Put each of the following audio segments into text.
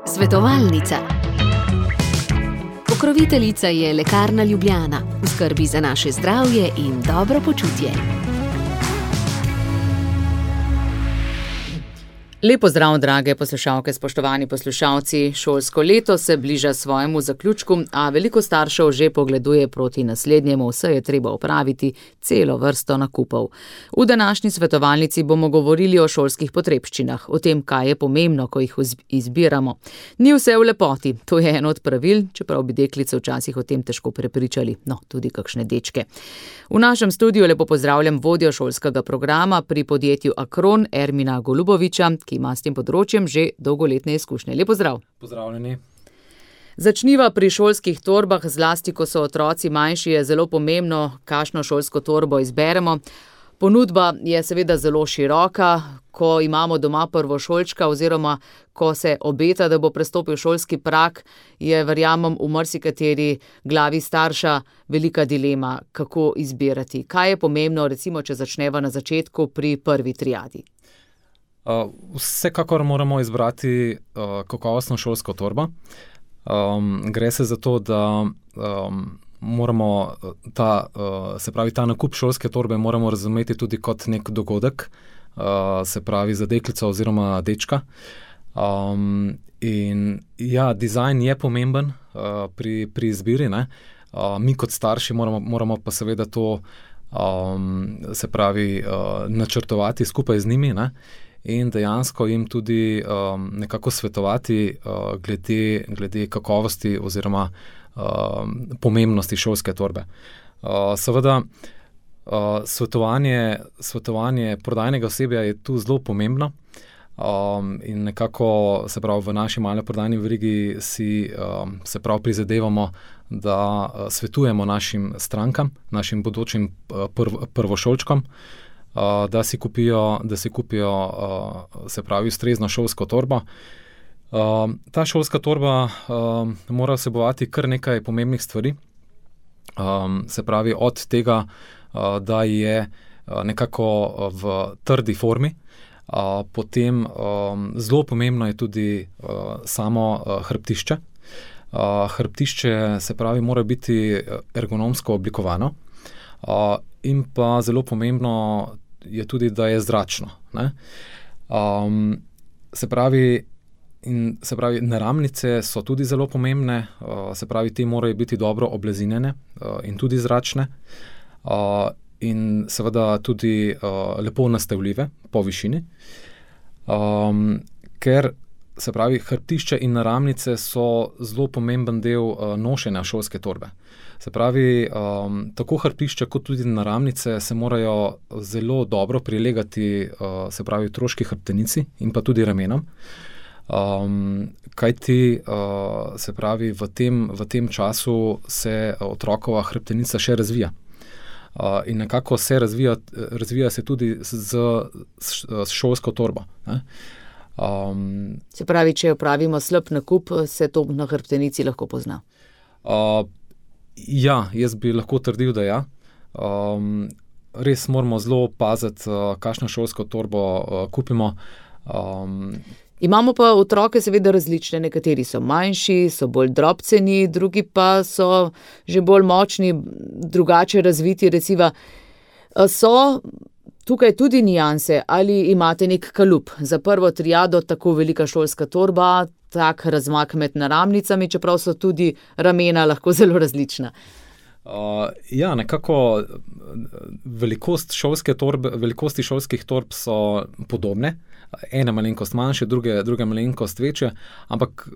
Svetovalnica. Pokroviteljica je Lekarna Ljubljana, v skrbi za naše zdravje in dobro počutje. Lepo zdrav, drage poslušalke, spoštovani poslušalci. Šolsko leto se bliža svojemu zaključku, a veliko staršev že pogleduje proti naslednjemu, saj je treba opraviti celo vrsto nakupov. V današnji svetovalnici bomo govorili o šolskih potrebščinah, o tem, kaj je pomembno, ko jih izbiramo. Ni vse v lepoti, to je eno od pravil, čeprav bi deklice včasih o tem težko prepričali, no, tudi kakšne dečke. V našem studiu lepo pozdravljam vodjo šolskega programa pri podjetju Akron, Ermina Goluboviča, ki ima s tem področjem že dolgoletne izkušnje. Lep pozdrav. Pozdravljeni. Začniva pri šolskih torbah, zlasti ko so otroci manjši, je zelo pomembno, kakšno šolsko torbo izberemo. Ponudba je seveda zelo široka, ko imamo doma prvošolčka oziroma ko se obeta, da bo prestopil šolski prag, je, verjamem, v marsikateri glavi starša velika dilema, kako izbirati. Kaj je pomembno, recimo, če začneva na začetku pri prvi triadi? Vsekakor moramo izbrati kakovostno šolsko torbo. Gre se za to, da moramo ta nakup šolske torbe moramo razumeti tudi kot nek dogodek, se pravi za deklico oziroma dečka. In ja, dizajn je pomemben pri izbiri, ne. Mi kot starši moramo pa seveda to se pravi načrtovati skupaj z njimi, ne. In dejansko jim tudi nekako svetovati glede kakovosti oziroma pomembnosti šolske torbe. Seveda svetovanje prodajnega osebja je tu zelo pomembno in nekako, se pravi, v naši mali prodajni verigi si se pravi prizadevamo, da svetujemo našim strankam, našim bodočim prvošolčkom, da si kupijo se pravi ustrezno šolsko torbo. Ta šolska torba mora vsebovati kar nekaj pomembnih stvari. Se pravi od tega, da je nekako v trdi formi, potem zelo pomembno je tudi samo hrbtišče. Hrbtišče, se pravi, mora biti ergonomsko oblikovano in pa zelo pomembno je tudi, da je zračno, ne. Se pravi, naramnice so tudi zelo pomembne, se pravi, te morajo biti dobro oblazinjene in tudi zračne in seveda tudi lepo nastavljive po višini, ker, se pravi, hrbtišče in naramnice so zelo pomemben del nošenja šolske torbe. Se pravi, tako hrbtišče kot tudi naramnice se morajo zelo dobro prilegati, se pravi, otroški hrbtenici in pa tudi ramenom. Kajti, se pravi, v tem času se otrokova hrbtenica še razvija. In nekako se razvija se tudi s šolsko torbo, ne. Se pravi, če opravimo slab nakup, se to na hrbtenici lahko pozna? Ja, jaz bi lahko trdil, da ja. Res moramo zelo paziti, kakšno šolsko torbo kupimo. Imamo pa otroke seveda različne, nekateri so manjši, so bolj drobceni, drugi pa so že bolj močni, drugače razviti, recimo. So tukaj tudi nianse, ali imate nek kalup za prvo triado, tako velika šolska torba, tak razmak med naramnicami, čeprav so tudi ramena lahko zelo različna? Ja, nekako velikosti šolskih torb so podobne. Ena malenkost manjše, druga malenkost večje, ampak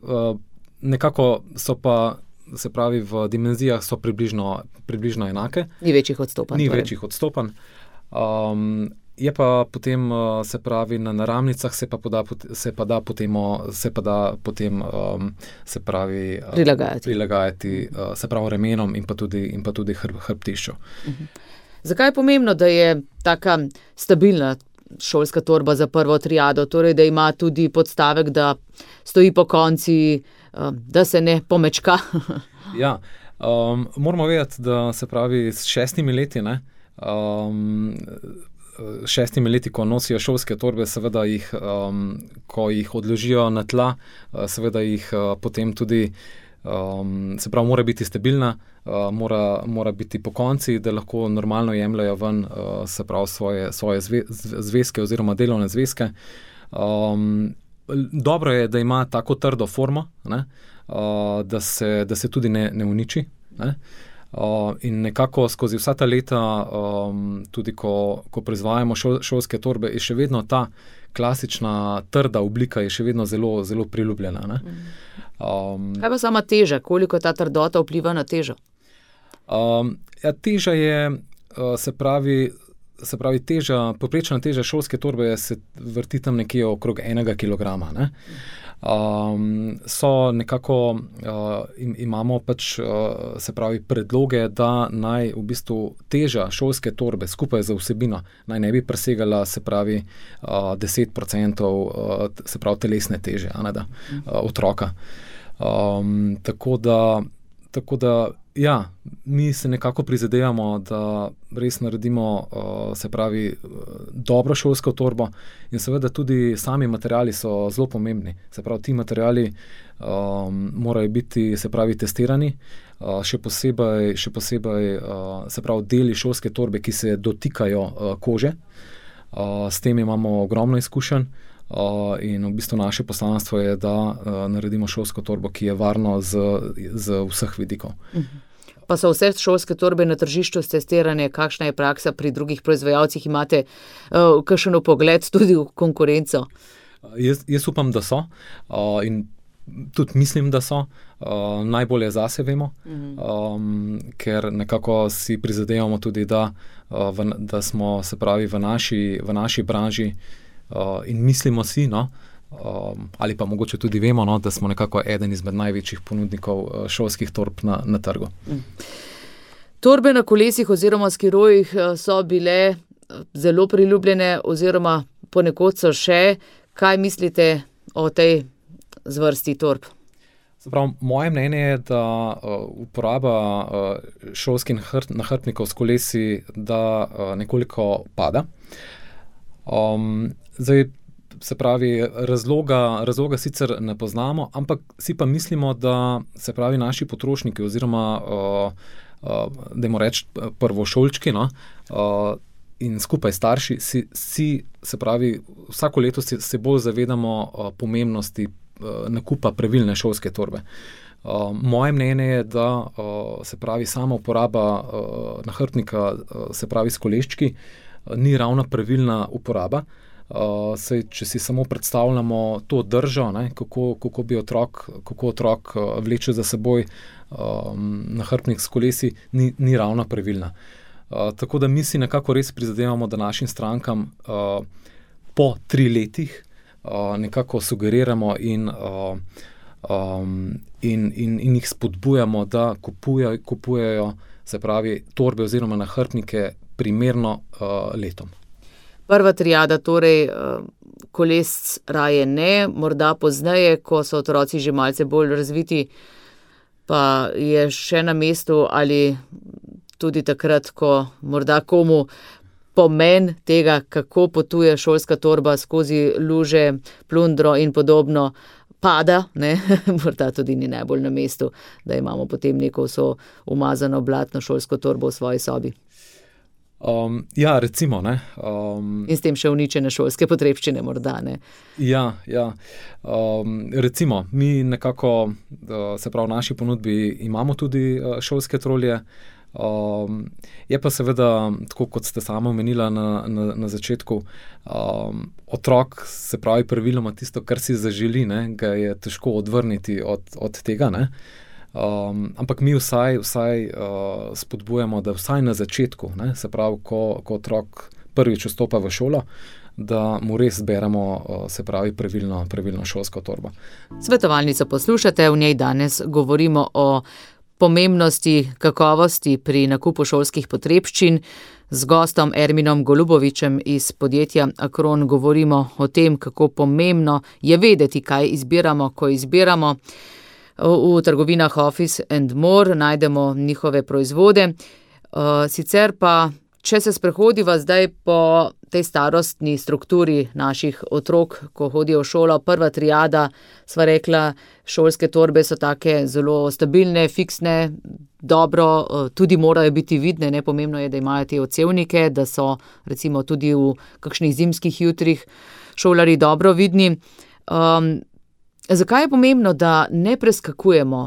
nekako so pa, se pravi, v dimenzijah so približno enake. Ni večjih odstopanj. Večjih odstopanj. Je pa potem, se pravi, na naramnicah se pa da potem prilagajati, se pravi, ramenom in pa tudi hrbtišču. Zakaj je pomembno, da je taka stabilna šolska torba za prvo triado, torej da ima tudi podstavek, da stoji pokonci, da se ne pomečka? Ja, moramo vedeti, da, se pravi, s 6 leti, ne, 6 leti, ko nosijo šolske torbe, seveda jih, ko jih odložijo na tla, seveda jih potem tudi, se pravi, mora biti stabilna, mora biti pokonci, da lahko normalno jemljajo ven, se pravi, svoje zvezke oziroma delovne zvezke. Dobro je, da ima tako trdo formo, ne, da se tudi ne uniči, ne. In nekako skozi vsa ta leta, tudi ko proizvajamo šolske torbe, je še vedno ta klasična trda oblika je še vedno zelo, zelo priljubljena, ne. Kaj pa sama teža? Koliko ta trdota vpliva na težo? Ja, teža je, se pravi teža, povprečna teža šolske torbe se vrti tam nekje okrog 1 kilograma, ne. So nekako, imamo pač, se pravi, predloge, da naj v bistvu teža šolske torbe skupaj z vsebino naj ne bi presegala, se pravi, 10%, se pravi, telesne teže, a ne da, otroka. Tako da, ja, mi se nekako prizadevamo, da res naredimo, se pravi, dobro šolsko torbo in seveda tudi sami materiali so zelo pomembni. Se pravi, ti materiali morajo biti, se pravi, testirani, še posebej, se pravi, deli šolske torbe, ki se dotikajo kože. S tem imamo ogromno izkušenj. In v bistvu naše poslanstvo je, da naredimo šolsko torbo, ki je varno z vseh vidikov. Pa so vse šolske torbe na tržišču testirane, kakšna je praksa pri drugih proizvajalcih, imate kakšen pogled tudi v konkurenco? Jaz upam, da so, in tudi mislim, da so. Najbolje zase vemo, ker nekako si prizadevamo tudi, da smo, se pravi, v naši branži, in mislimo si, no, ali pa mogoče tudi vemo, no, da smo nekako eden izmed največjih ponudnikov šolskih torb na trgu. Torbe na kolesih oziroma skirojih so bile zelo priljubljene oziroma ponekod so še. Kaj mislite o tej zvrsti torb? Moje mnenje je, da uporaba šolskih nahrbtnikov s kolesi, da nekoliko pada. Zdaj, se pravi, razloga sicer ne poznamo, ampak si pa mislimo, da, se pravi, naši potrošniki oziroma, dajmo reči, prvošolčki, no, in skupaj starši si, se pravi, vsako leto se bolj zavedamo pomembnosti nakupa pravilne šolske torbe. Moje mnenje je, da, se pravi, sama uporaba nahrbtnika, se pravi, s koleščki, ni ravno pravilna uporaba. Saj, če si samo predstavljamo to držo, ne, kako otrok vleče za seboj nahrbtnik s kolesi, ni ravno pravilna. Tako da mi si nekako res prizadevamo, da našim strankam po 3 letih nekako sugeriramo in jih spodbujamo, da kupujejo, se pravi, torbe oziroma nahrbtnike primerno letom. Prva triada, torej koles raje ne, morda pozneje, ko so otroci že malce bolj razviti, pa je še na mestu, ali tudi takrat, ko morda komu pomen tega, kako potuje šolska torba skozi luže, plundro in podobno, pada, ne, morda tudi ni najbolj na mestu, da imamo potem neko vso umazano blatno šolsko torbo v svoji sobi. Ja, recimo, ne. In s tem še uničene šolske potrebščine morda, ne. Ja. Recimo, mi nekako, se pravi, v naši ponudbi imamo tudi šolske trolje. Je pa seveda, tako kot ste sama omenila na začetku, otrok, se pravi, praviloma tisto, kar si zaželi, ne, ga je težko odvrniti od tega, ne. Ampak mi vsaj spodbujamo, da vsaj na začetku, ne, se pravi, ko otrok prvič vstopa v šolo, da mu res zberemo, se pravi, pravilno šolsko torbo. Svetovalnico poslušate, v njej danes govorimo o pomembnosti kakovosti pri nakupu šolskih potrebščin. Z gostom Erminom Golubovičem iz podjetja Akron govorimo o tem, kako pomembno je vedeti, kaj izbiramo, ko izbiramo. V trgovinah Office and More najdemo njihove proizvode. Sicer pa, če se sprehodiva zdaj po tej starostni strukturi naših otrok, ko hodijo v šolo, prva triada, sva rekla, šolske torbe so take zelo stabilne, fiksne, dobro, tudi morajo biti vidne, ne, pomembno je, da imajo te odsevnike, da so recimo tudi v kakšnih zimskih jutrih šolarji dobro vidni. Zakaj je pomembno, da ne preskakujemo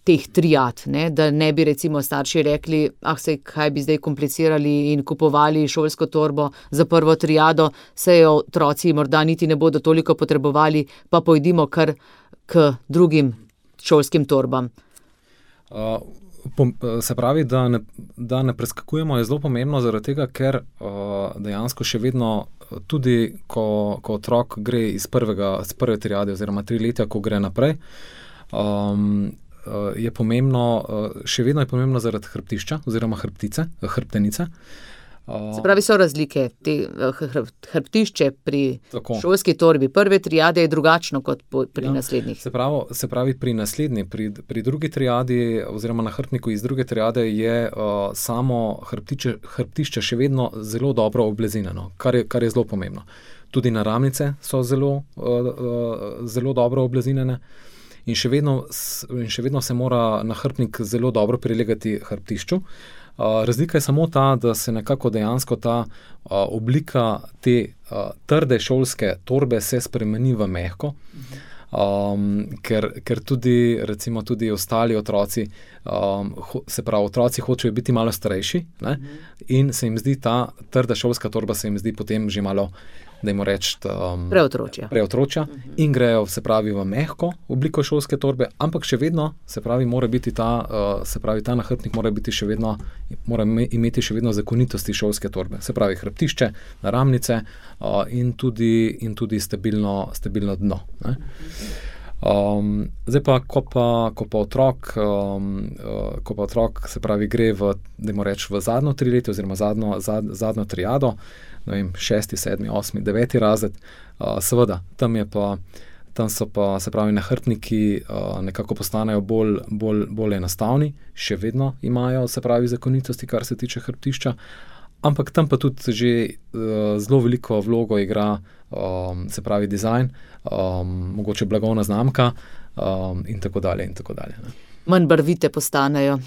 teh triad, ne? Da ne bi recimo starši rekli, saj kaj bi zdaj komplicirali in kupovali šolsko torbo za prvo triado, saj jo otroci morda niti ne bodo toliko potrebovali, pa pojdimo kar k drugim šolskim torbam. Se pravi, da ne preskakujemo, je zelo pomembno zaradi tega, ker dejansko še vedno tudi, ko otrok gre iz prve triade oziroma 3 leta, ko gre naprej, je pomembno, še vedno je pomembno zaradi hrbtišča oziroma hrbtenice. Se pravi, so razlike. Hrbtišče pri šolski torbi prve triade je drugačno kot pri naslednjih. Se pravi, pri naslednji, pri drugi triadi oziroma na hrbtniku iz druge triade je samo hrbtišče še vedno zelo dobro oblezinjeno, kar je zelo pomembno. Tudi naramnice so zelo dobro oblezinjene in še vedno se mora nahrbtnik zelo dobro prilegati hrbtišču. Razlika je samo ta, da se nekako dejansko ta oblika te trde šolske torbe se spremeni v mehko, ker tudi ostali otroci, se pravi, otroci hočejo biti malo starejši, ne? In se jim zdi ta trda šolska torba se jim zdi potem že malo, dajmo reči, preotročja in grejo, se pravi, v mehko obliko šolske torbe, ampak še vedno, se pravi, mora biti ta nahrbtnik mora imeti še vedno zakonitosti šolske torbe, se pravi, hrbtišče, naramnice in tudi stabilno dno, ne? Zdaj pa, ko pa otrok, se pravi, gre v zadnjo 3 leta oziroma zadnjo triado, ne vem, 6., 7., 8., 9. razred, seveda, tam so pa, se pravi, nahrbtniki nekako postanejo bolj enostavni, še vedno imajo, se pravi, zakonitosti, kar se tiče hrbtišča, ampak tam pa tudi že zelo veliko vlogo igra, se pravi, dizajn, mogoče blagovna znamka in tako dalje in tako dalje, ne. Manj barvite postanejo.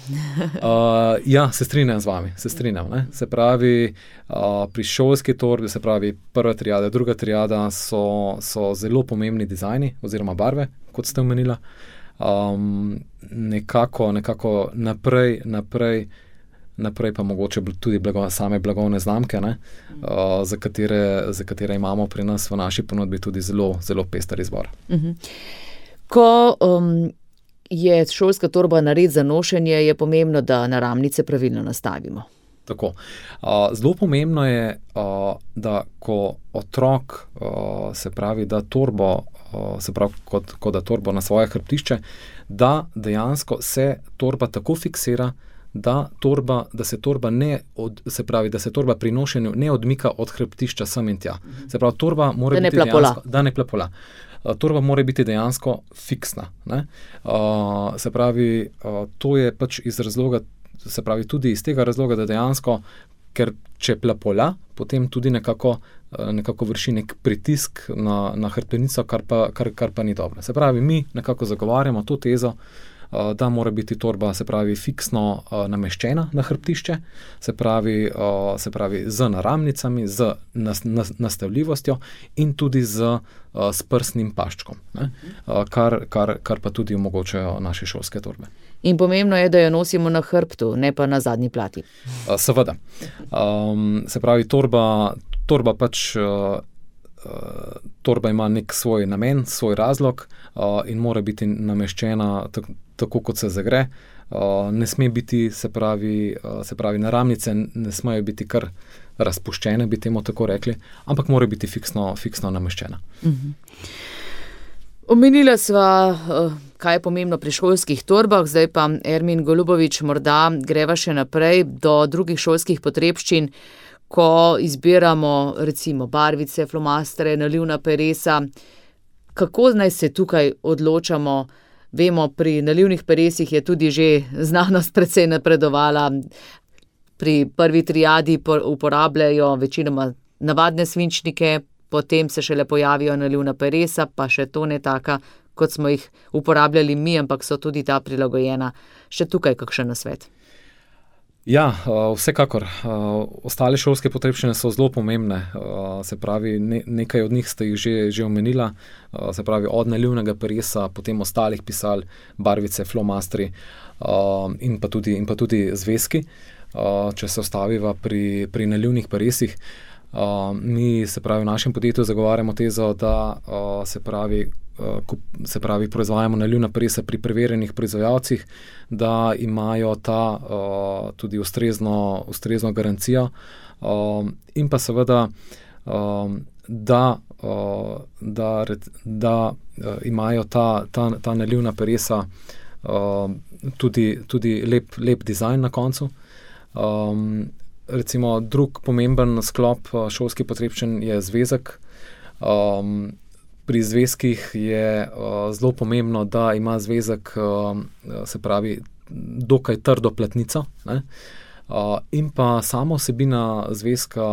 Ja, se strinjam z vami, ne. Se pravi, pri šolski torbi, se pravi, prva triada, druga triada so zelo pomembni dizajni oziroma barve, kot ste omenila. Nekako naprej pa mogoče tudi same blagovne znamke, ne, za katere imamo pri nas v naši ponudbi tudi zelo, zelo pester izbor. Ko je šolska torba nared za nošenje, je pomembno, da naramnice pravilno nastavimo. Tako. Zelo pomembno je, da ko otrok, se pravi, da torbo, se pravi, ko da torbo na svoje hrbtišče, da dejansko se torba tako fiksira, da se torba pri nošenju ne odmika od hrbtišča sem in tja. Se pravi, torba mora biti dejansko, da ne plapola. Torba mora biti dejansko fiksna, ne? Se pravi, to je pač iz razloga, se pravi, tudi iz tega razloga, da dejansko, ker če plapola, potem tudi nekako vrši nek pritisk na hrbtenico, kar pa ni dobro. Se pravi, mi nekako zagovarjamo to tezo, da mora biti torba, se pravi, fiksno nameščena na hrbtišče, se pravi z naramnicami, z nastavljivostjo in tudi s prsnim paščkom, ne? Kar pa tudi omogočajo naše šolske torbe. In pomembno je, da jo nosimo na hrbtu, ne pa na zadnji plati. Seveda. Se pravi, torba pač torba ima nek svoj namen, svoj razlog in mora biti nameščena tako, kot se zagre. Ne sme biti, se pravi, naramnice ne smejo biti kar razpuščene, bi temu tako rekli, ampak mora biti fiksno nameščena. Omenila sva, kaj je pomembno pri šolskih torbah, zdaj pa Ermin Golubović, morda greva še naprej do drugih šolskih potrebščin, ko izbiramo recimo barvice, flomastere, nalivna peresa. Kako naj se tukaj odločamo? Vemo, pri nalivnih peresih je tudi že znanost precej napredovala. pri prvi triadi uporabljajo večinoma navadne svinčnike, potem se šele pojavijo nalivna peresa, pa še to ne taka, kot smo jih uporabljali mi, ampak so tudi ta prilagojena. Še tukaj kakšen nasvet? Ja, vsekakor. Ostale šolske potrebščine so zelo pomembne. Se pravi, nekaj od njih ste jih že omenila. Se pravi, od nalivnega peresa, potem ostalih pisal, barvice, flomastri in pa tudi zvezki. Če se ostaviva pri nalivnih peresih, mi se pravi v našem podjetju zagovarjamo tezo, da se pravi proizvajamo nalivna peresa pri preverjenih proizvajalcih, da imajo ta tudi ustrezno garancijo in pa seveda, da imajo ta nalivna peresa tudi lep dizajn na koncu. Recimo drug pomemben sklop šolskih potrebščin je zvezek. Pri zvezkih je zelo pomembno, da ima zvezek, se pravi, dokaj trdo platnico, ne? In pa sama vsebina zvezka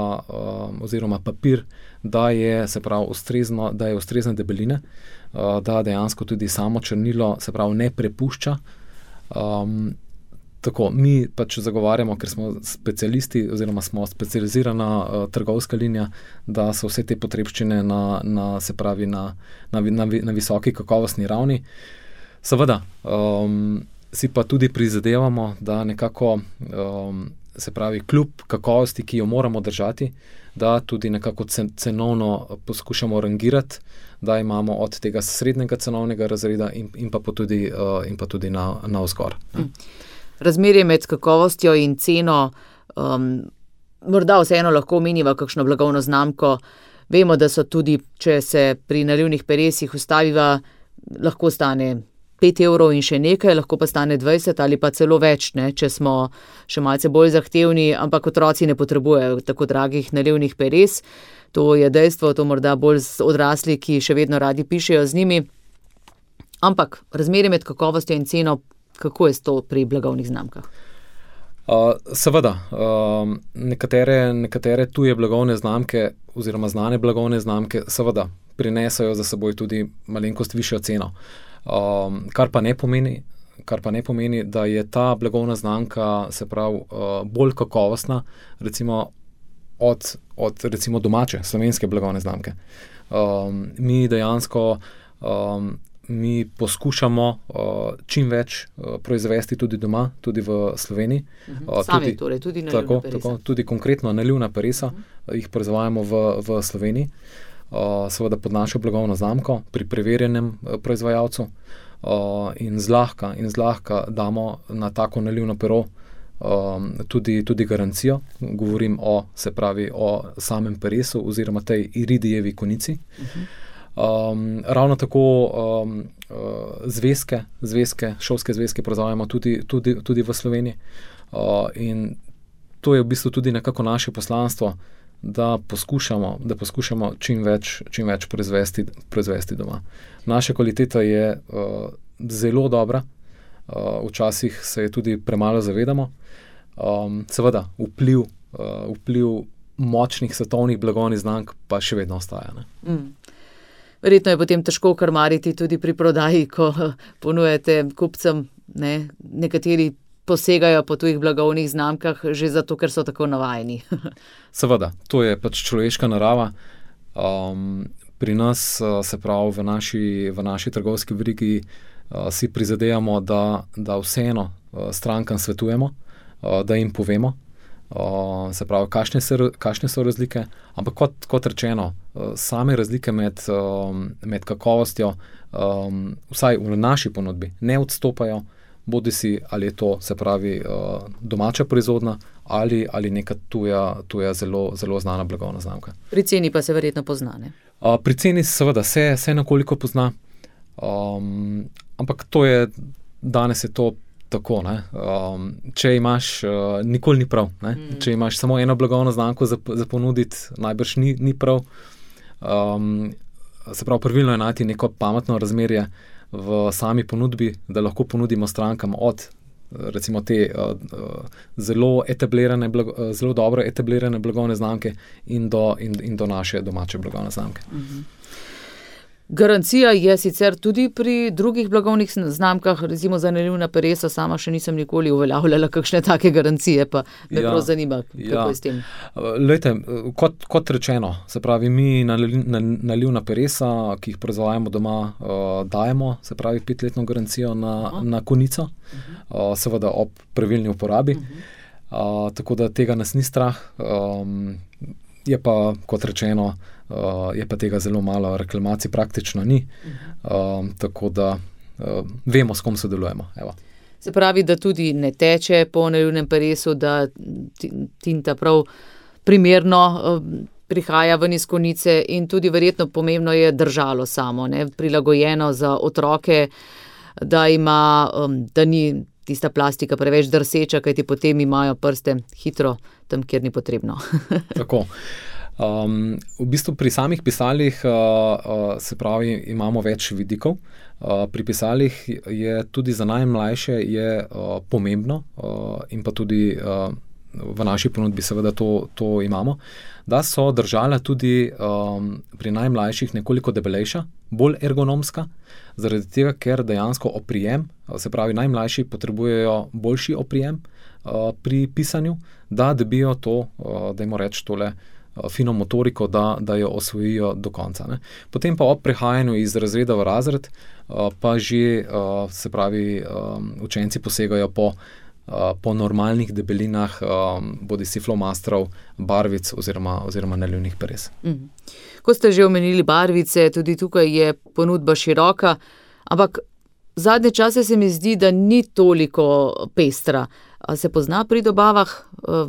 oziroma papir, da je, se pravi, ustrezne debeline, da dejansko tudi samo črnilo, se pravi, ne prepušča. Tako, mi pač zagovarjamo, ker smo specialisti oziroma smo specializirana trgovska linija, da so vse te potrebščine na visoki kakovostni ravni. Seveda, si pa tudi prizadevamo, da nekako, se pravi, kljub kakovosti, ki jo moramo držati, da tudi nekako cenovno poskušamo rangirati, da imamo od tega srednjega cenovnega razreda in pa tudi navzgor. Razmerje med kakovostjo in ceno, morda vseeno lahko omeniva kakšno blagovno znamko. Vemo, da so tudi, če se pri nalivnih peresih ustaviva, lahko stane 5 evrov in še nekaj, lahko pa stane 20 ali pa celo več, ne, če smo še malce bolj zahtevni, ampak otroci ne potrebujejo tako dragih nalivnih peres. To je dejstvo, to morda bolj odrasli, ki še vedno radi pišejo z njimi. Ampak razmerje med kakovostjo in ceno, kako je to pri blagovnih znamkah? Seveda, nekatere tuje blagovne znamke oziroma znane blagovne znamke seveda prinesajo za seboj tudi malenkost višjo ceno. Kar pa ne pomeni, da je ta blagovna znamka, se pravi, bolj kakovostna, recimo od recimo domače, slovenske blagovne znamke. Mi dejansko mi poskušamo čim več proizvesti tudi doma, tudi v Sloveniji. Sami torej, tudi nalivna peresa. Tako, tudi konkretno nalivna peresa, jih proizvajamo v Sloveniji, seveda pod našo blagovno znamko, pri preverjenem proizvajalcu, in zlahka damo na tako nalivno pero tudi garancijo. Govorim o samem peresu oziroma tej iridijevi konici. Ravno tako šolske zvezke proizvajamo tudi v Sloveniji. In to je v bistvu tudi nekako naše poslanstvo, da poskušamo čim več proizvesti doma. Naša kvaliteta je zelo dobra, včasih se je tudi premalo zavedamo. Seveda, vpliv močnih svetovnih blagovnih znamk pa še vedno ostaja, ne? Verjetno je potem težko krmariti tudi pri prodaji, ko ponujate kupcem, ne? Nekateri posegajo po tujih blagovnih znamkah že zato, ker so tako navajeni. Seveda, to je pač človeška narava. Pri nas, se pravi, v naši trgovski verigi si prizadevamo, da vseeno strankam svetujemo, da jim povemo, se pravi, kakšne so razlike, ampak kot rečeno, same razlike med kakovostjo, vsaj v naši ponudbi, ne odstopajo, bodisi ali je to, se pravi, domača proizvodnja ali neka tuja zelo znana blagovna znamka. Pri ceni pa se verjetno pozna, ne? Pri ceni seveda se nekoliko pozna, ampak danes je to tako, ne. Če imaš, nikoli ni prav, ne. Če imaš samo eno blagovno znamko za ponuditi, najbrž ni prav. Se pravi, pravilno je najti neko pametno razmerje v sami ponudbi, da lahko ponudimo strankam od recimo te zelo dobro etablirane blagovne znamke in do naše domače blagovne znamke. Garancija je sicer tudi pri drugih blagovnih znamkah, recimo za nalivna peresa, sama še nisem nikoli uveljavljala kakšne take garancije, pa me prav zanima, kako je s tem. Lejte, kot rečeno, se pravi, mi nalivna peresa, ki jih proizvajamo doma, dajemo, se pravi, 5-letno garancijo na konico, seveda ob pravilni uporabi, tako da tega nas ni strah, je pa, kot rečeno, je pa tega zelo malo, reklamacij praktično ni, tako da vemo, s kom sodelujemo. Evo. Se pravi, da tudi ne teče po nalivnem peresu, da tinta prav primerno prihaja ven iz konice in tudi verjetno pomembno je držalo samo, ne, prilagojeno za otroke, da ni tista plastika preveč drseča, kajti potem imajo prste hitro tam, kjer ni potrebno. Tako. V bistvu pri samih pisalih se pravi, imamo več vidikov. Pri pisalih je tudi za najmlajše pomembno in pa tudi v naši ponudbi seveda to imamo, da so držala tudi pri najmlajših nekoliko debelejša, bolj ergonomska, zaradi tega, ker dejansko oprijem, se pravi najmlajši potrebujejo boljši oprijem pri pisanju, da dobijo to, dajmo reči tole, fino motoriko, da jo osvojijo do konca. Ne. Potem pa ob prehajanju iz razreda v razred, pa že, se pravi, učenci posegajo po normalnih debelinah, bodisi flomastrov, barvic oziroma nalivnih peres. Ko ste že omenili barvice, tudi tukaj je ponudba široka, ampak zadnje čase se mi zdi, da ni toliko pestra. A se pozna pri dobavah,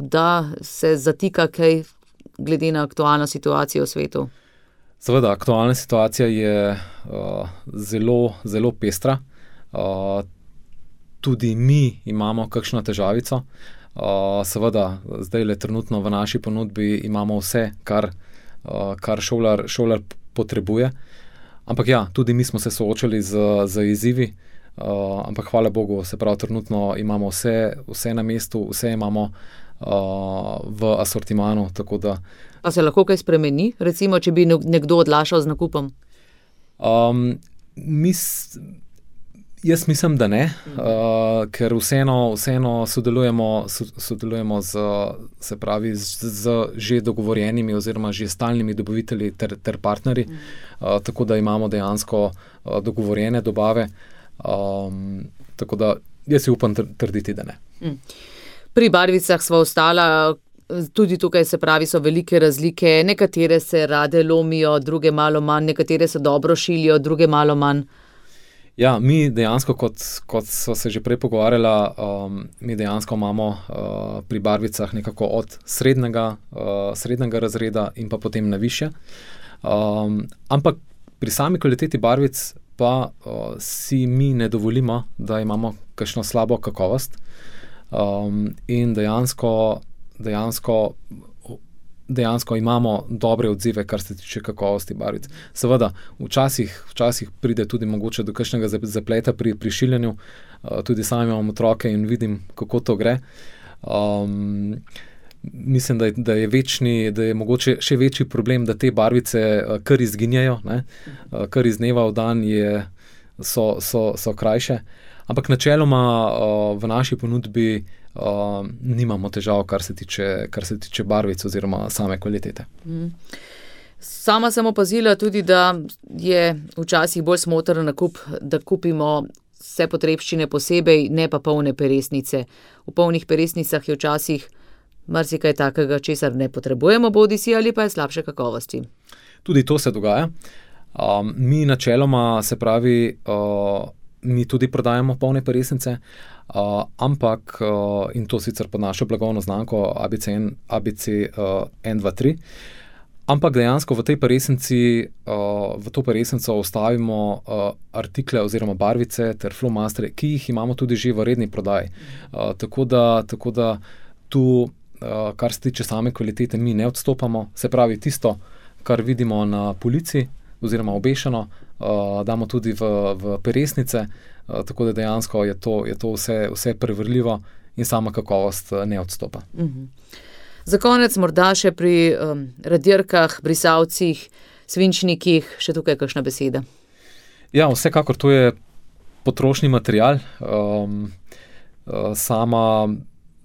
da se zatika kaj glede na aktualno situacijo v svetu? Seveda, aktualna situacija je zelo, zelo pestra. Tudi mi imamo kakšno težavico. Seveda, zdajle trenutno v naši ponudbi imamo vse, kar šolar potrebuje. Ampak ja, tudi mi smo se soočali z izzivi, ampak hvala Bogu, se pravi, trenutno imamo vse na mestu, vse imamo v asortimanu, tako da... A se lahko kaj spremeni, recimo, če bi nekdo odlašal z nakupom? Jaz mislim, da ne, ker vseeno sodelujemo se pravi, z že dogovorjenimi oziroma že stalnimi dobavitelji ter partnerji, tako da imamo dejansko dogovorjene dobave, tako da jaz si upam trditi, da ne. Pri barvicah sva ostala, tudi tukaj se pravi, so velike razlike, nekatere se rade lomijo, druge malo manj, nekatere se dobro šilijo, druge malo manj. Ja, mi dejansko, kot so se že prej pogovarjala, mi dejansko imamo pri barvicah nekako od srednjega razreda in pa potem na višje. Ampak pri sami kvaliteti barvic pa si mi ne dovolimo, da imamo kakšno slabo kakovost. In dejansko imamo dobre odzive, kar se tiče kakovosti barvic. Seveda, včasih pride tudi mogoče do kakšnega zapleta pri šiljenju, tudi sam imam otroke in vidim, kako to gre. Mislim, da je mogoče še večji problem, da te barvice kar izginjajo, ne? Kar iz dneva v dan so krajše. Ampak načeloma v naši ponudbi nimamo težav, kar se tiče barvic oziroma same kvalitete. Sama sem opazila tudi, da je včasih bolj smotrn nakup, da kupimo vse potrebščine posebej, ne pa polne peresnice. V polnih peresnicah je včasih marsikaj takega, česar ne potrebujemo, bodisi ali pa je slabše kakovosti. Tudi to se dogaja. Mi načeloma, se pravi, mi tudi prodajamo polne peresnice, ampak, in to sicer pod našo blagovno znamko ABC 1, 2, 3, ampak dejansko v tej peresnici, v to peresnico vstavimo artikle oziroma barvice ter flomastre, ki jih imamo tudi že v redni prodaji. Tako da tu, kar se tiče same kvalitete, mi ne odstopamo. Se pravi, tisto, kar vidimo na polici oziroma obešeno, damo tudi v peresnice, tako da dejansko je to vse preverljivo in sama kakovost ne odstopa. Za konec morda še pri radirkah, brisavcih, svinčnikih, še tukaj kakšna beseda? Ja, vsekakor to je potrošni material.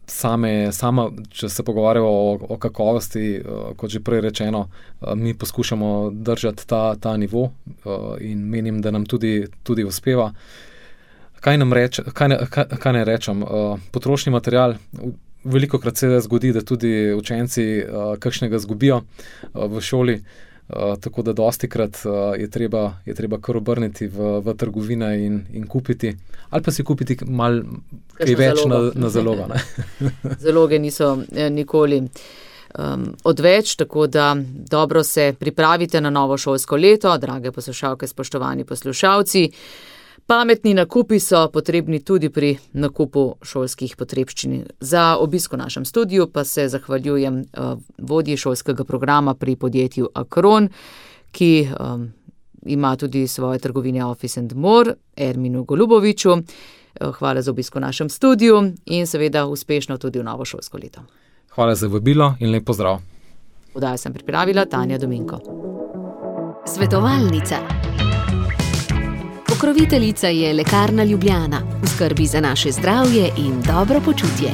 Če se pogovarjamo o kakovosti, kot že prej rečeno, mi poskušamo držati ta nivo in menim, da nam tudi uspeva. Kaj naj rečem? Potrošni material, velikokrat se zgodi, da tudi učenci kakšnega zgubijo v šoli, tako da dostikrat je treba kar obrniti v trgovine in kupiti, ali pa si kupiti malo kaj več na zalogo. Zaloge niso nikoli odveč, tako da dobro se pripravite na novo šolsko leto, drage poslušalke, spoštovani poslušalci. Pametni nakupi so potrebni tudi pri nakupu šolskih potrebščin. Za obisk v našem studiu pa se zahvaljujem vodji šolskega programa pri podjetju Acron, ki ima tudi svoje trgovine Office & More, Erminu Goluboviču. Hvala za obisk v našem studiu in seveda uspešno tudi v novo šolsko leto. Hvala za vabilo in lep pozdrav. Oddajo sem pripravila Tanja Dominko. Svetovalnica. Pokroviteljica je Lekarna Ljubljana, v skrbi za naše zdravje in dobro počutje.